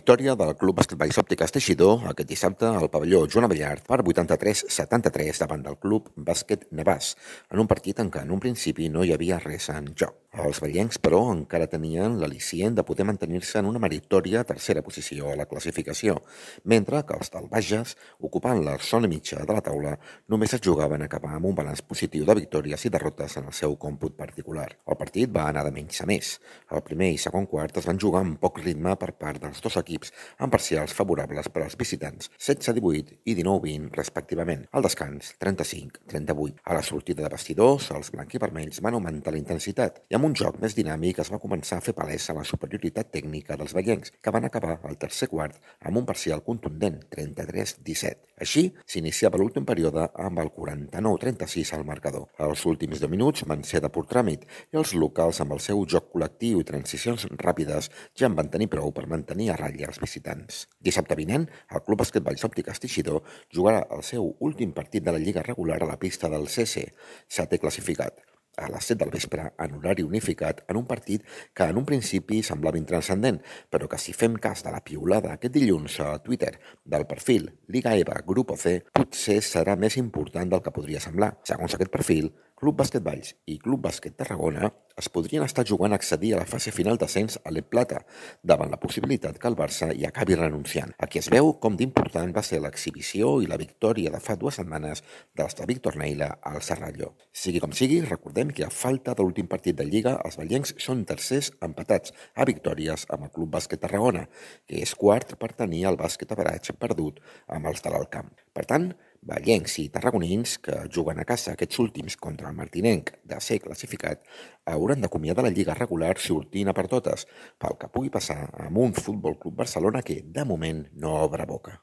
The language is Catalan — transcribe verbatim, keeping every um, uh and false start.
Victòria del Club Bàsquet Òptiques Teixidor aquest dissabte al pavelló Joan Abellart per vuitanta-tres a setanta-tres davant del Club Bàsquet Navàs, en un partit en què en un principi no hi havia res en joc. Els vellencs, però, encara tenien l'al·licient de poder mantenir-se en una meritòria tercera posició a la classificació, mentre que els del Bages, ocupant la zona mitja de la taula, només es jugaven a acabar amb un balanç positiu de victòries i derrotes en el seu còmput particular. El partit va anar de menys a més. El primer i segon quart es van jugar amb poc ritme per part dels dos equips, amb parcials favorables per als visitants, setze a divuit i dinou a vint respectivament. Al descans, trenta-cinc a trenta-vuit. A la sortida de vestidors, els blanquivermells van augmentar la intensitat i amb un joc més dinàmic es va començar a fer palesa la superioritat tècnica dels vellencs, que van acabar el tercer quart amb un parcial contundent, trenta-tres a disset. Així, s'iniciava l'últim període amb el quaranta-nou a trenta-sis al marcador. Els últims deu minuts van ser de pur tràmit i els locals, amb el seu joc col·lectiu i transicions ràpides, ja en van tenir prou per mantenir a ratlla els visitants. Dissabte vinent, el Club Bàsquet Òptiques Teixidor jugarà el seu últim partit de la Lliga regular a la pista del C C, setè classificat, a les set del vespre, en horari unificat, en un partit que en un principi semblava intranscendent, però que si fem cas de la piulada aquest dilluns a Twitter del perfil Liga EVA Grupo C, potser serà més important del que podria semblar. Segons aquest perfil, Club Bàsquet Valls i Club Bàsquet Tarragona es podrien estar jugant a accedir a la fase final d'ascens a l'E Plata, davant la possibilitat que el Barça hi acabi renunciant. Aquí es veu com d'important va ser l'exhibició i la victòria de fa dues setmanes dels de Víctor Neila al Serralló. Sigui com sigui, recordem que a falta de l'últim partit de Lliga, els vellencs són tercers empatats a victòries amb el Club Bàsquet Tarragona, que és quart per tenir el bàsquet average perdut amb els de l'Alt Camp. Per tant, vellencs i tarragonins que juguen a casa aquests últims contra el martinenc de ser classificat hauran d'acomiadar la Lliga regular sortint a per totes, pel que pugui passar amb un Futbol Club Barcelona que, de moment, no obre boca.